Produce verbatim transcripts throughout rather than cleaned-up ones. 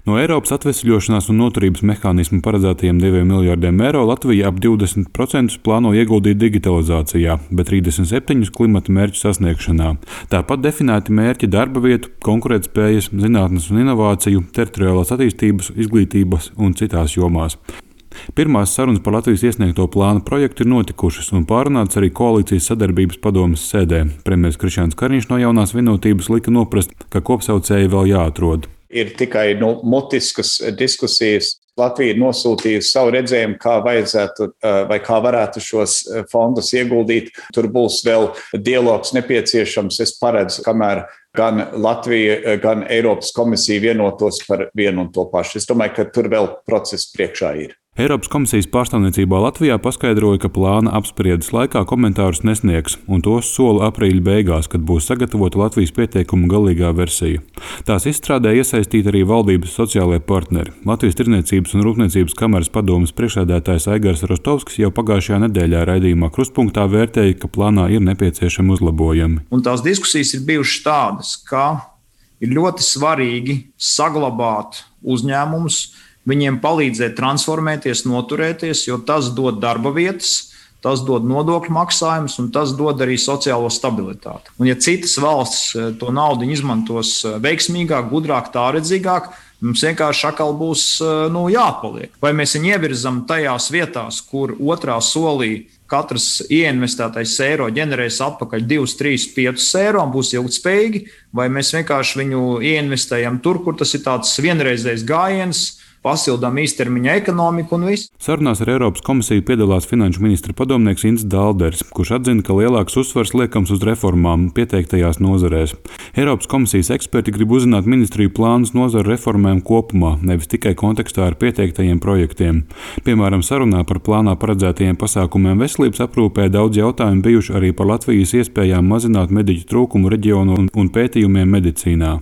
No Eiropas atvesļošanās un noturības mehānisma paredzētajiem diviem miljardiem eiro Latvija ap divdesmit procentus plāno ieguldīt digitalizācijā, bet trīsdesmit septiņus klimata mērķu sasniegšanā. Tāpat definēti mērķi darba vietu, konkurētspējas, zinātnes un inovāciju, teritoriālās attīstības, izglītības un citās jomās. Pirmās sarunas par Latvijas iesniegto plāna projektu ir notikušas un pārunāts arī koalīcijas sadarbības padomes sēdē. Premjeras Krišjāns Kariņš no Jaunās Vienotības lika noprast, ka kopsaucēji vēl jāatrod. Ir tikai nu, mutiskas diskusijas. Latvija ir nosūtījusi savu redzējumu, kā vajadzētu vai kā varētu šos fondus ieguldīt. Tur būs vēl dialogs nepieciešams. Es paredzu, kamēr gan Latvija, gan Eiropas komisija vienotos par vienu un to pašu. Es domāju, ka tur vēl process priekšā ir. Eiropas komisijas pārstāvniecībā Latvijā paskaidroja, ka plāna apspriedes laikā komentārus nesniegs, un tos sola aprīļa beigās, kad būs sagatavota Latvijas pieteikuma galīgā versija. Tās izstrādē iesaistīti arī valdības sociālie partneri. Latvijas Tirniecības un Rūpniecības kameras padomes priekšsēdētājs Aigars Rostovskis jau pagājušajā nedēļā raidījumā Krustpunktā vērtēja, ka plānā ir nepieciešami uzlabojumi. Un tās diskusijas ir bijušas tādas, ka ir ļoti svarīgi saglabāt uzņēmumus, viņiem palīdzēt transformēties, noturēties, jo tas dod darba vietas, tas dod nodokļu maksājumus un tas dod arī sociālo stabilitāti. Un ja citas valstis to naudu izmantos veiksmīgāk, gudrāk, tāredzīgāk, mums vienkārši atkal būs nu, jāatpaliek. Vai mēs viņu ievirzam tajās vietās, kur otrā solī katrs ieinvestētais eiro ģenerēs atpakaļ divus, trīs, piecus eiro un būs ilgtspējīgi, vai mēs vienkārši viņu ieinvestējam tur, kur tas ir tāds vienreizējs gājiens, pasildām īstermiņa ekonomiku un viss. Sarunās ar Eiropas komisiju piedalās finanšu ministra padomnieks Ints Dālders, kurš atzina, ka lielāks uzsvars liekams uz reformām pieteiktajās nozarēs. Eiropas komisijas eksperti grib uzzināt ministriju plānus nozaru reformēm kopumā, nevis tikai kontekstā ar pieteiktajiem projektiem. Piemēram, sarunā par plānā paredzētajiem pasākumiem veselības aprūpē daudz jautājumu bijuši arī par Latvijas iespējām mazināt mediķu trūkumu reģionu un, un pētījumiem medicīnā.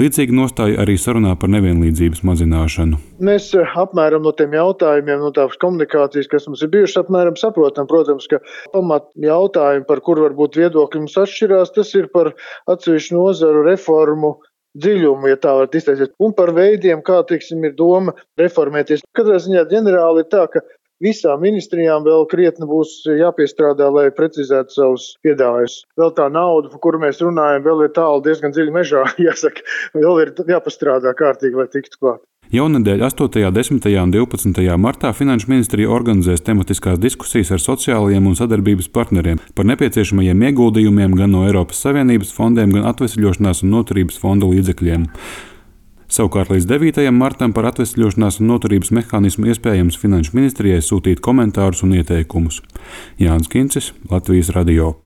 Līdzīgi nostāja arī sarunā par nevienlīdzības mazināšanu. Mēs apmēram no tiem jautājumiem, no tās komunikācijas, kas mums ir bijušas, apmēram saprotam, protams, ka pamat jautājumi, par kur varbūt viedokļi mums atšķirās, tas ir par atsevišķu nozaru reformu dziļumu, ja tā var izteikties, un par veidiem, kā, teiksim, ir doma reformēties. Katrā ziņā ģenerāli ir tā, ka visām ministrijām vēl krietni būs jāpiestrādā, lai precizētu savus piedāvājumus. Vēl tā nauda, par kuru mēs runājam, vēl ir tālu diezgan dziļi mežā, jāsaka, vēl ir jāpastrādā kārtīgi, lai tiktu klāt. Jaunadēļ astotajā, desmitajā un divpadsmitajā martā Finanšu ministrija organizēs tematiskās diskusijas ar sociālajiem un sadarbības partneriem par nepieciešamajiem ieguldījumiem gan no Eiropas Savienības fondiem, gan atvesļošanās un noturības fonda līdzekļiem. Savukārt līdz devītajam martam par atvesļošanās un noturības mehānismu iespējams Finanšu ministrijai sūtīt komentārus un ieteikumus. Jānis Kincis, Latvijas radio.